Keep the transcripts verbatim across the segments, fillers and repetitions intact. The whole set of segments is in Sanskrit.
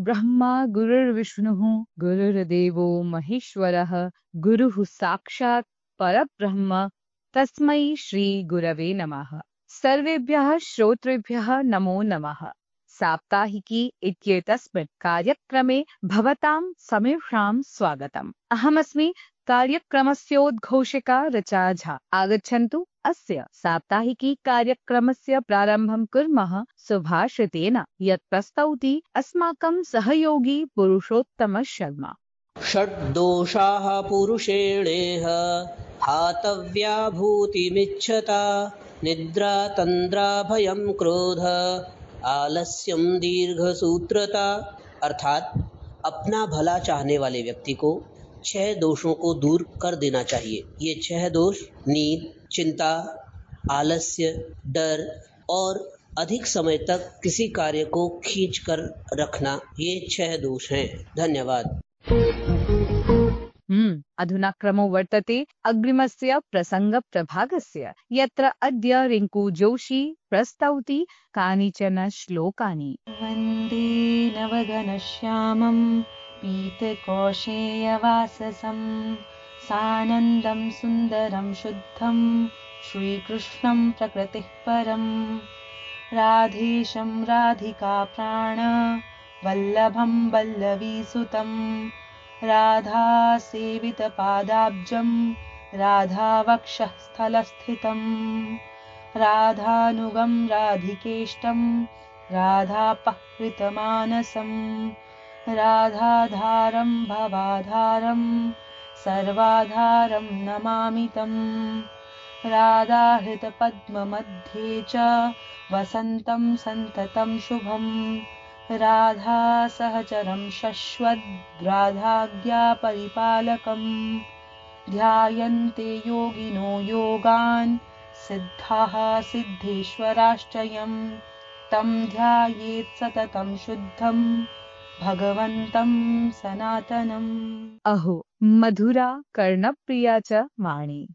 गुरुर्ब्रह्मा गुरुर्विष्णुः गुरुर्देवो महेश्वरः गुरुः साक्षात् परब्रह्म तस्मै श्री गुरवे नमः। सर्वेभ्यः श्रोतृभ्यः नमो नमः। साप्ताहिकी इत्येतस्मिन् कार्यक्रमे भवतां समेषां स्वागतम्। अहमस्मि कार्यक्रमस्योद्घोषिका ऋचा झा। आगच्छन्तु अस्य साप्ताहिकी कार्यक्रमस्य प्रारम्भं कुर्मः सुभाषितेन, यत् प्रस्तौति अस्माकं सहयोगी पुरुषोत्तम शर्मा। षड्दोषाः पुरुषेणेह हातव्या भूतिमिच्छता निद्रा तन्द्रा भयं क्रोध आलस्यम दीर्घसूत्रता। अर्थात अपना भला चाहने वाले व्यक्ति को छह दोषों को दूर कर देना चाहिए। ये छह दोष नींद, चिंता, आलस्य, डर और अधिक समय तक किसी कार्य को खींच कर रखना, ये छह दोष हैं। धन्यवाद। हम्म अधुना क्रमो वर्तते अग्रिमस्य प्रसङ्गप्रभागस्य, यत्र अद्य रिङ्कू जोशी प्रस्तौति कानिचन श्लोकानि। वन्दे नवघनश्यामं पीतकौशेयवाससं सानन्दं सुन्दरं शुद्धं श्रीकृष्णं प्रकृतिः परं राधेशं राधिकाप्राण वल्लभं वल्लवीसुतं राधासेवितपादाब्जं राधावक्षः स्थलस्थितं राधानुगं राधिकेष्टं राधापहृतमानसं राधाधारं भवाधारं सर्वाधारं नमामि तं राधाहृतपद्ममध्ये च वसन्तं सन्ततं शुभं राधासहचरं शश्वद् राधाज्ञापरिपालकं ध्यायन्ते योगिनो योगान् सिद्धाः सिद्धेश्वराश्चयं तं ध्यायेत् सततं शुद्धं भगवन्तं सनातनम्। अहो मधुरा कर्णप्रिया च वाणी।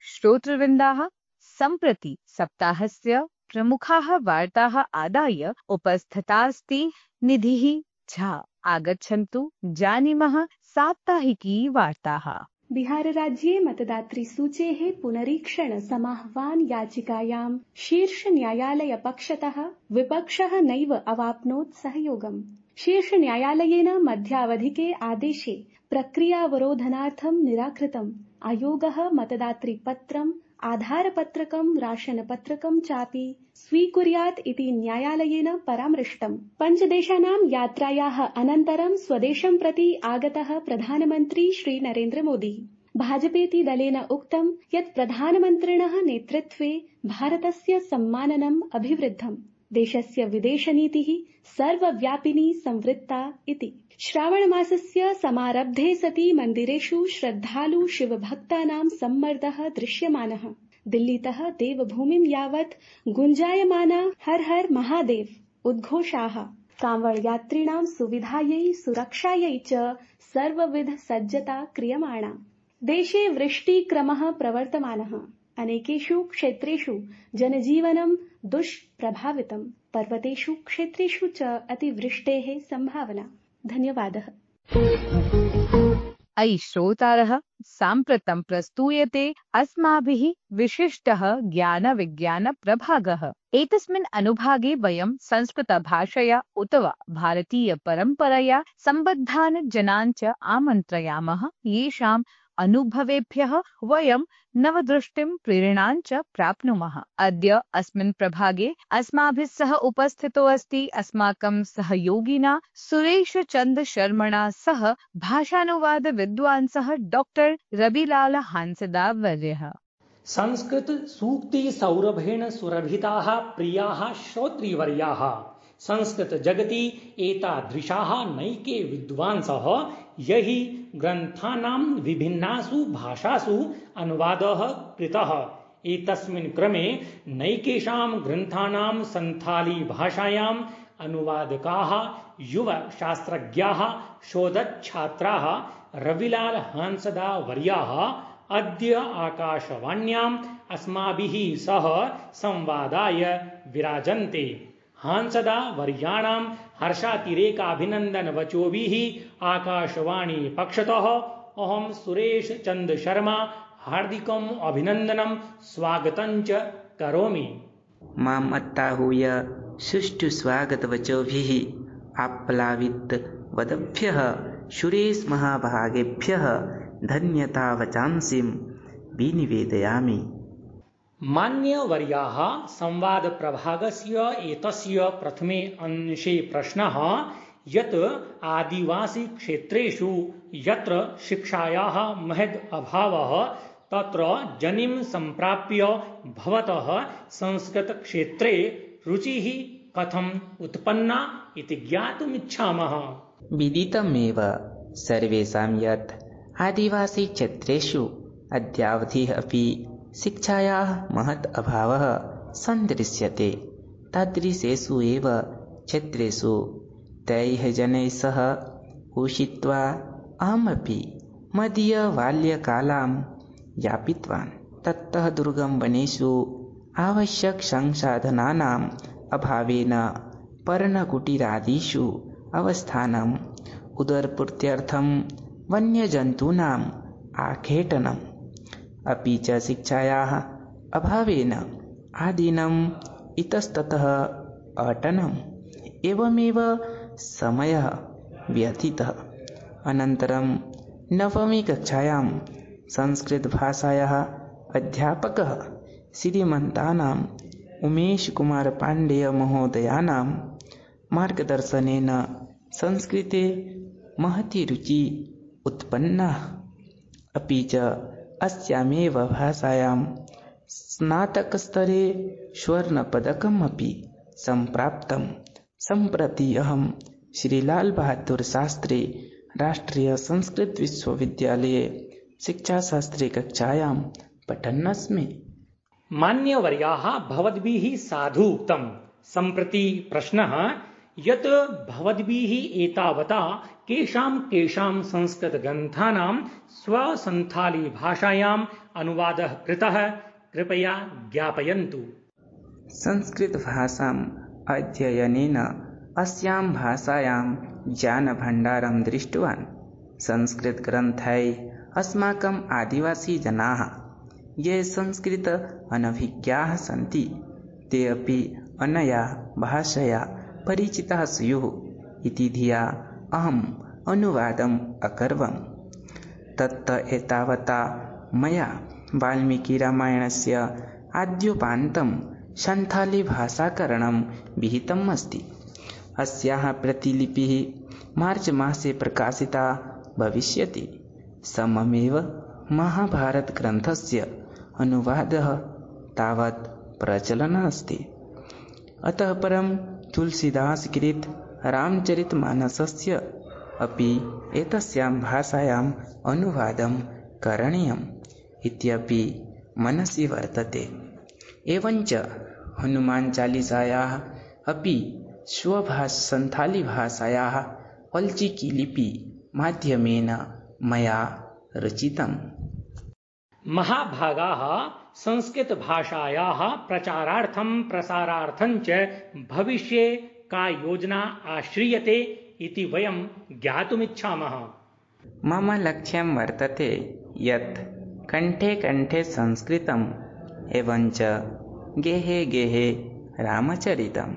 श्रोतृवृन्दाः, सम्प्रति सप्ताहस्य प्रमुखाः वार्ताः आदाय उपस्थितास्ति निधिः झा। आगच्छन्तु जानीमः साप्ताहिकी वार्ताः। बिहारराज्ये मतदातृसूचेः पुनरीक्षण समाह्वान याचिकायां शीर्षन्यायालयपक्षतः विपक्षः नैव अवाप्नोत् सहयोगम्। शीर्षन्यायालयेन मध्यावधिके आदेशे प्रक्रियावरोधनार्थं निराकृतम्। आयोगः मतदातृपत्रम्, आधारपत्रकं, राशनपत्रकं चापि स्वीकुर्यात् इति न्यायालयेन परामृष्टम्। पञ्चदेशानां यात्रायाः अनन्तरं स्वदेशं प्रति आगतः प्रधानमन्त्री श्री नरेन्द्र मोदी भाजपेति दलेन उक्तं यत् प्रधानमन्त्रिणः नेतृत्वे भारतस्य सम्माननम् अभिवृद्धम्। देशस्य विदेशनीतिः सर्वव्यापिनी संवृत्ता इति। श्रावणमासस्य समारब्धे सति मन्दिरेषु श्रद्धालु शिवभक्तानां सम्मर्दः दृश्यमानः। दिल्लीतः देवभूमिं यावत् गुञ्जायमाना हर हर महादेव उद्घोषाः कांवड़ यात्रिणां सुविधायै सुरक्षायै च सर्वविध सज्जता क्रियमाणा। देशे वृष्टिक्रमः प्रवर्तमानः। अनेकेषु क्षेत्रेषु जनजीवनं दुष्प्रभावितम्। पर्वतेषु क्षेत्रेषु च अतिवृष्टेः संभावना। धन्यवादः। अयि श्रोतारः, साम्प्रतं प्रस्तूयते अस्माभिः विशिष्टः ज्ञानविज्ञानप्रभागः। एतस्मिन् अनुभागे वयं संस्कृतभाषया उत वा भारतीयपरम्परया सम्बद्धान् जनान् च आमन्त्रयामः, येषाम् अनुभवेभ्यः वयं नवदृष्टिं प्रेरणां च प्राप्नुमः। अद्य अस्मिन् प्रभागे अस्माभिः सह उपस्थितो अस्ति अस्माकं सहयोगिना सुरेशचन्द्र शर्मणा सह भाषानुवाद विद्वांसः डॉक्टर रविलाल हांसदा वर्यः। संस्कृत सूक्ति सौरभेण सुरभिताः प्रियाः श्रोतृवर्याः, संस्कृत जगति एतादृशाः नैके विद्वांसः यहि ग्रन्थानां विभिन्नासु भाषासु अनुवादः कृतः। एतस्मिन् क्रमे नैकेषां ग्रन्थानां संथाली भाषायाम् अनुवादकाः युव शास्त्रज्ञाः शोधच्छात्राः रविलाल हांसदा वर्याः अद्य आकाशवाण्याम् अस्माभिः सह संवादाय विराजन्ते। हांसदा वर्याणां हर्षातिरेकाभिनन्दनवचोभिः आकाशवाणी पक्षतः अहं सुरेश चंद शर्मा हार्दिकम् अभिनन्दनं स्वागतं च करोमि। माम् अत्ताहूय सुष्ठु स्वागतवचोभिः आप्लावितवद्भ्यः सुरेश महाभागेभ्यः धन्यतावचांसिं विनिवेदयामि। मान्यवर्याः संवादप्रभागस्य एतस्य प्रथमे अंशे प्रश्नः यत् आदिवासीक्षेत्रेषु यत्र शिक्षायाः महद् अभावः तत्र जनिं सम्प्राप्य भवतः संस्कृतक्षेत्रे रुचिः कथम् उत्पन्ना इति ज्ञातुमिच्छामः। विदितमेव सर्वेषां यत् आदिवासीक्षेत्रेषु अद्यावधिः अपि शिक्षायाः महत् अभावः सन्दृश्यते। तादृशेषु एव क्षेत्रेषु तैः जनैः सह उषित्वा अहमपि मदीयबाल्यकालां यापितवान्। ततः दुर्गमवनेषु आवश्यकसंसाधनानाम् अभावेन पर्णकुटीरादिषु अवस्थानम्, उदरपूर्त्यर्थं वन्यजन्तूनाम् आखेटनम्, अपि च शिक्षायाः अभावेन आदिनम् इतस्ततः अटनम्, एवमेव समयः व्यतीतः। अनन्तरं नवमी कक्षायां संस्कृतभाषायाः अध्यापकः श्रीमन्तानाम् उमेशकुमारपाण्डेयमहोदयानां मार्गदर्शनेन संस्कृते महती रुचिः उत्पन्ना। अपि च अस्यामेव भाषायां स्नातकस्तरे स्वर्णपदकम् अपि सम्प्राप्तं। सम्प्रति अहं श्रीलालबहादुरशास्त्री राष्ट्रीयसंस्कृतविश्वविद्यालये शिक्षाशास्त्रे कक्षायां पठन्नस्मि। मान्यवर्याः भवद्भिः साधु उक्तं। सम्प्रति प्रश्नः यत् भवद्भिः एतावता केषां केषां संस्कृतग्रन्थानां स्वसन्थाली भाषायाम् अनुवादः कृतः कृपया ज्ञापयन्तु। संस्कृतभाषाम् अध्ययनेन अस्यां भाषायां ज्ञानभण्डारं दृष्टवान्। संस्कृतग्रन्थैः अस्माकम् आदिवासीजनाः ये संस्कृत अनभिज्ञाः सन्ति ते अपि अनया भाषया परिचिताः स्युः इति धिया अहम् अनुवादम् अकरवम्। तत् एतावता मया वाल्मीकिरामायणस्य आद्योपान्तं सन्थाली भाषाकरणं विहितम् अस्ति। अस्याः प्रतिलिपिः मार्च मासे प्रकाशिता भविष्यति। सममेव महाभारतग्रन्थस्य अनुवादः तावत् प्रचलन् अस्ति। अतः परं तुलसीदासकृत रामचरितमानसस्य अपि एतस्यां भाषायाम् अनुवादं करणीयम् इत्यपि मनसि वर्तते। एवञ्च हनुमान् चालीसायाः अपि स्वभाष सन्थाली भाषायाः पल्चिकी लिपि माध्यमेन मया रचितम्। महाभागाः संस्कृतभाषायाः प्रचारार्थं प्रसारार्थं च भविष्ये का योजना आश्रियते इति वयं ज्ञातुमिच्छामः। मम लक्ष्यं वर्तते यत् कण्ठे कण्ठे संस्कृतम् एवञ्च गेहे गेहे रामचरितम्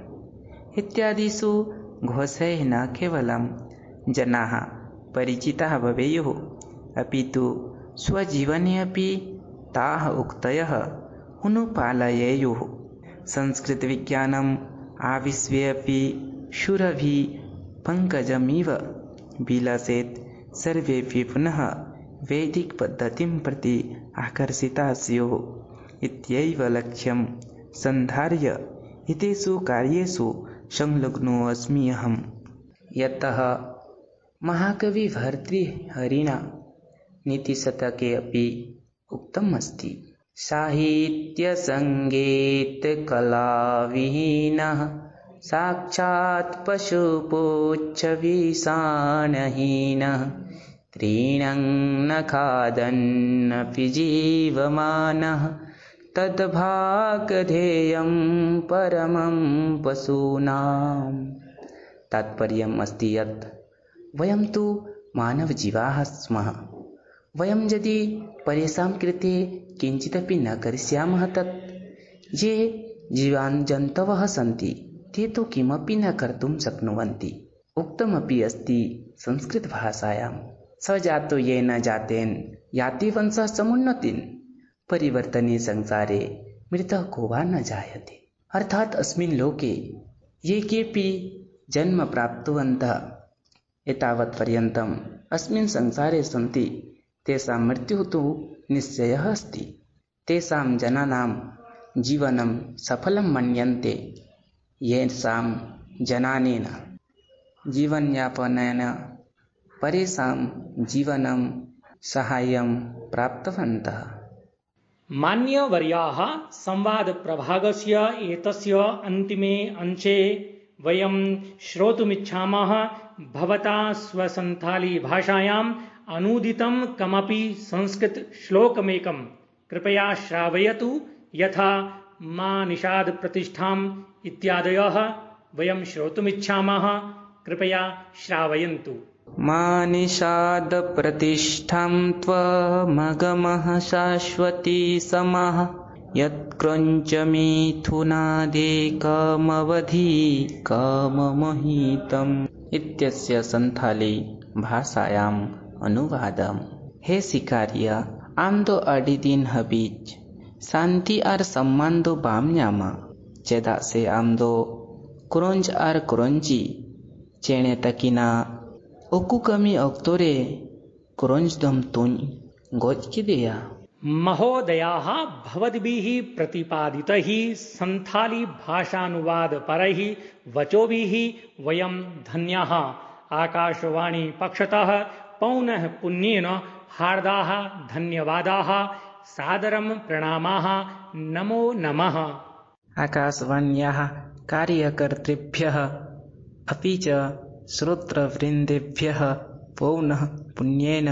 इत्यादिषु घोषैः न केवलं जनाः परिचिताः भवेयुः, अपि तु स्वजीवने अपि ताः उक्तयः अनुपालयेयुः। संस्कृतविज्ञानम् आविश्वे अपि शूरभि पङ्कजमिव विलसेत्। सर्वेपि पुनः वैदिकपद्धतिं प्रति आकर्षिताः स्युः इत्येव लक्ष्यं सन्धार्य एतेषु कार्येषु संलग्नो अस्मि अहम्। यतः महाकविभर्तृहरिणा नीतिशतके अपि उक्तम् अस्ति, साहित्यसङ्गीतकलाविहीनः साक्षात् पशुपुच्छविषाणहीनः तृणं न खादन्नपि जीवमानः तद्भागधेयं परमं पशूनां। तात्पर्यम् अस्ति यत् वयं तु मानवजीवाः स्मः। वयं यदि परेषां कृते किञ्चिदपि न करिष्यामः तत् ये जीवान् जन्तवः सन्ति ते तु किमपि न कर्तुं शक्नुवन्ति। उक्तमपि अस्ति संस्कृतभाषायां, स जातो येन जातेन याति वंशः समुन्नतिं परिवर्तने संसारे मृतः को वा न जायते। अर्थात् अस्मिन् लोके ये केऽपि जन्म प्राप्तवन्तः एतावत् पर्यन्तम् अस्मिन् संसारे सन्ति तेषां मृत्युः तु निश्चयः अस्ति। तेषां जनानां जीवनं सफलं मन्यन्ते येषां जनानेन जीवनयापनेन परेषां जीवनं साहाय्यं प्राप्तवन्तः। मान्यवर्याः संवादप्रभागस्य एतस्य अन्तिमे अंशे वयं श्रोतुमिच्छामः भवता स्वसन्थाली भाषायाम् अनूदितं कमपि संस्कृतश्लोकमेकं कृपया श्रावयतु, यथा मा निषाद प्रतिष्ठाम् इत्यादयः वयं श्रोतुमिच्छामः। कृपया श्रावयन्तु। मा निषाद प्रतिष्ठां त्वमगमः शाश्वती समः यत्क्रञ्च मिथुनादेकमवधि काममहितम् इत्यस्य संथाली भाषायाम् अनुवादम। हे शिकारिया, आमदो अडिदिन हबीज शांति और सम्मान दो बामन्यामा चेदा से आमदो क्रोंज और क्रोंजी चेणे तकिना ओकु कमी अक्तोरे क्रोंज दम तुन गोज की दिया। महोदयाः, भवद्भिः प्रतिपादितैः संथाली भाषानुवादपरैः वचोभिः वयं धन्याः। आकाशवाणी पक्षतः पौनः पुण्येन हार्दाः धन्यवादाः, सादरं प्रणामाः, नमो नमः। आकाशवाण्याः कार्यकर्तृभ्यः अपि च श्रोतृवृन्देभ्यः पौनः पुण्येन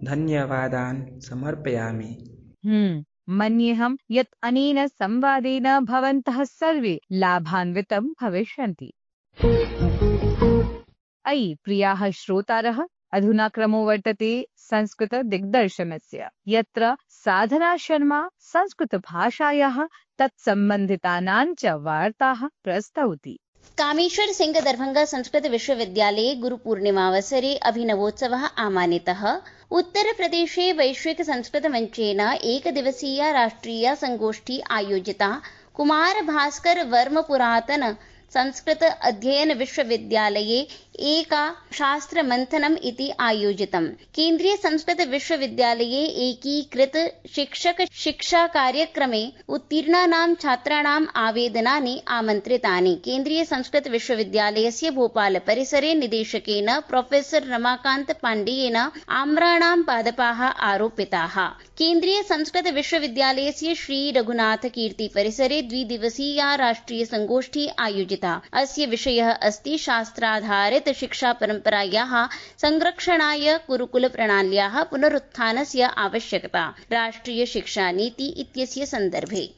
धन्यवादान् समर्पयामि। हम्म मन्येऽहं यत् अनेन संवादेन भवन्तः सर्वे लाभान्वितं भविष्यन्ति। अयि प्रियाः श्रोतारः, अधुना क्रमो वर्तते संस्कृत दिग्दर्शनस्य, यत्र साधना शर्मा संस्कृतभाषायाः तत्सम्बन्धितानां च वार्ताः प्रस्तौति। कामेश्वर सिंह दरभंगा संस्कृत विश्वविद्यालये गुरुपूर्णिमावसरे अभिनवोत्सवः आमानितः। उत्तरप्रदेशे वैश्विक संस्कृत मंचेन एकदिवसीया राष्ट्रिया संगोष्ठी आयोजिता। कुमार भास्कर वर्म पुरातन संस्कृत अध्ययन विश्वविद्यालये एका शास्त्र मंथनम् इति आयोजितम्। केन्द्रीय संस्कृत विश्वविद्यालये एकीकृत शिक्षक शिक्षा कार्यक्रमे उत्तीर्णानां छात्राणाम् आवेदनानि आमन्त्रितानि। केन्द्रीय संस्कृत विश्वविद्यालयस्य भोपाल परिसरे निदेशकेन प्रोफेसर रमाकान्त पाण्डेयेन आम्राणां पादपाः आरोपिताः। केन्द्रीय संस्कृत विश्वविद्यालयस्य श्री रघुनाथ कीर्ति परिसरे द्विदिवसीया राष्ट्रिय संगोष्ठी आयोजिता। अस्य विषयः अस्ति शास्त्राधारित शिक्षा परम्परायाः संरक्षणाय गुरुकुल प्रणाल्याः पुनरुत्थानस्य आवश्यकता, राष्ट्रिय शिक्षा नीति इत्यस्य सन्दर्भे।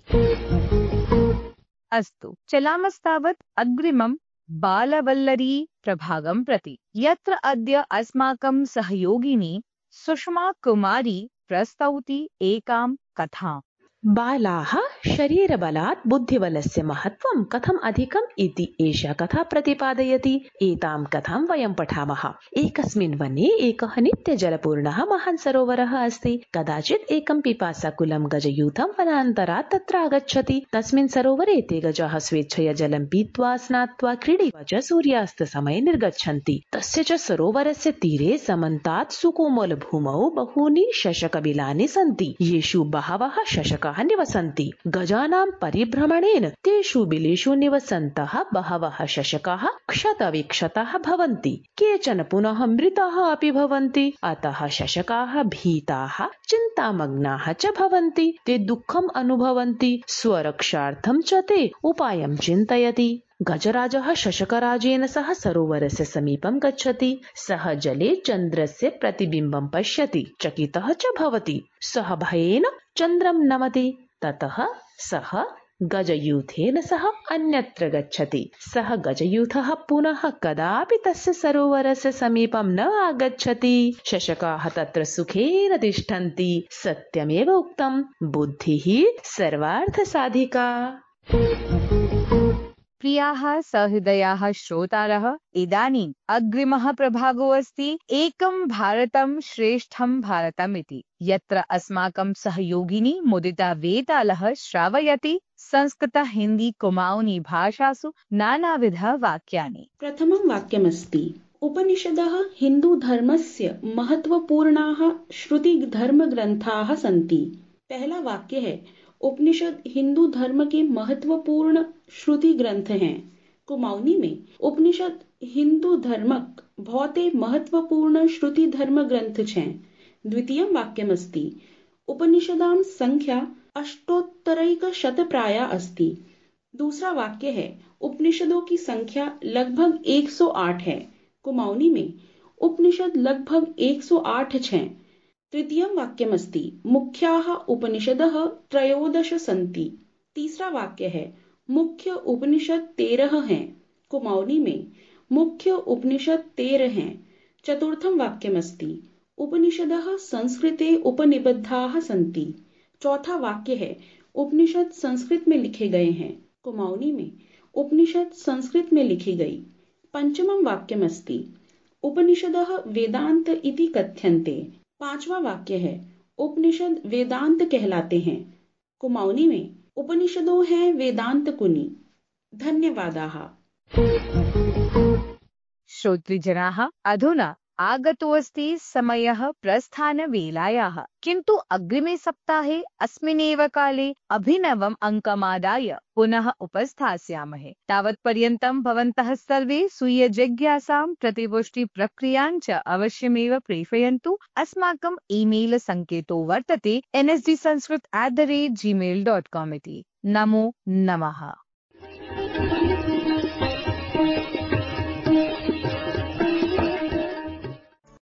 अस्तु, चलामस्तावत् अग्रिमं बालवल्लरी प्रभागं प्रति, यत्र अद्य अस्माकं सहयोगिनी सुषमा कुमारी प्रस्तौति एकां कथाम्। बालाः शरीरबलात् बुद्धिबलस्य महत्त्वं कथम् अधिकम् इति एषा कथा प्रतिपादयति। एतां कथां वयं पठामः। एकस्मिन् वने एकः नित्यजलपूर्णः महान् सरोवरः अस्ति। कदाचित् एकं पिपासाकुलं गजयूथं वनान्तरात् तत्र आगच्छति। तस्मिन् सरोवरे ते गजाः स्वेच्छया जलं पीत्वा स्नात्वा क्रीडित्वा च सूर्यास्तसमये निर्गच्छन्ति। तस्य च सरोवरस्य तीरे समन्तात् सुकोमलभूमौ बहूनि शशकबिलानि सन्ति, येषु बहवः शशकाः निवसन्ति। गजानां परिभ्रमणेन तेषु बिलेषु निवसन्तः बहवः शशकाः क्षतविक्षताः भवन्ति, केचन पुनः मृताः अपि भवन्ति। अतः शशकाः भीताः चिन्तामग्नाः च भवन्ति। ते दुःखम् अनुभवन्ति। स्वरक्षार्थं च ते उपायं चिन्तयति। गजराजः शशकराजेन सह सरोवरस्य समीपं गच्छति। सः जले चन्द्रस्य प्रतिबिम्बं पश्यति, चकितः च भवति। सः भयेन चन्द्रं नमति। ततः सः गजयूथेन सह अन्यत्र गच्छति। सः गजयूथः पुनः कदापि तस्य सरोवरस्य समीपं न आगच्छति। शशकाः तत्र सुखेन तिष्ठन्ति। सत्यमेव उक्तं, बुद्धिः सर्वार्थसाधिका। प्रियाः सहृदयाः श्रोतारः, इदानीम् अग्रिमः प्रभागो अस्ति एकं भारतं श्रेष्ठं भारतम् इति, यत्र अस्माकं सहयोगिनी मुदिता वेतालः श्रावयति संस्कृत हिंदी कुमाऊनी भाषासु नानाविध वाक्यानि। प्रथमं वाक्यमस्ति, उपनिषदः हिन्दूधर्मस्य महत्वपूर्णाः श्रुतिधर्मग्रन्थाः सन्ति। पहला वाक्य है, उपनिषद हिंदू धर्म के महत्वपूर्ण श्रुति ग्रंथ हैं। कुमाऊनी में उपनिषद हिंदू धर्मक बहुते महत्वपूर्ण श्रुति धर्म ग्रंथ हैं। द्वितीयं वाक्यमस्ति, उपनिषदां संख्या अष्टोत्तरैकशतप्राया अस्ति। दूसरा वाक्य है, उपनिषदों की संख्या लगभग एक सौ आठ है। कुमाऊनी में उपनिषद लगभग एक सौ आठ हैं। तृतीयं वाक्यमस्ति, मुख्याः उपनिषदः त्रयोदश सन्ति। तीसरा वाक्य है, मुख्य उपनिषद तेरह हैं। कुमाऊनी में मुख्य उपनिषद तेरह हैं। चतुर्थं वाक्यमस्ति, उपनिषदः संस्कृते उपनिबद्धाः सन्ति। चौथा वाक्य है, उपनिषद संस्कृत में लिखे गए हैं। कुमाऊनी में उपनिषद संस्कृत में लिखी गई। पंचमं वाक्यमस्ति, उपनिषदः वेदांत इति कथ्यन्ते। पांचवा वाक्य है, उपनिषद वेदांत कहलाते हैं। कुमाऊनी में उपनिषदों हैं वेदांत कुनि। धन्यवादाः। श्रोतृजनाः, अधुना आगतोऽस्ति समयः प्रस्थानवेलायाः, किन्तु अग्रिमे सप्ताहे अस्मिन्नेव काले अभिनवम् अङ्कमादाय पुनः उपस्थास्यामहे। तावत्पर्यन्तं भवन्तः सर्वे स्वीय जिज्ञासां प्रतिपुष्टिप्रक्रियां च अवश्यमेव प्रेषयन्तु। अस्माकं ईमेल सङ्केतो वर्तते N S D Sanskrit at the rate Gmail dot com इति। नमो नमः।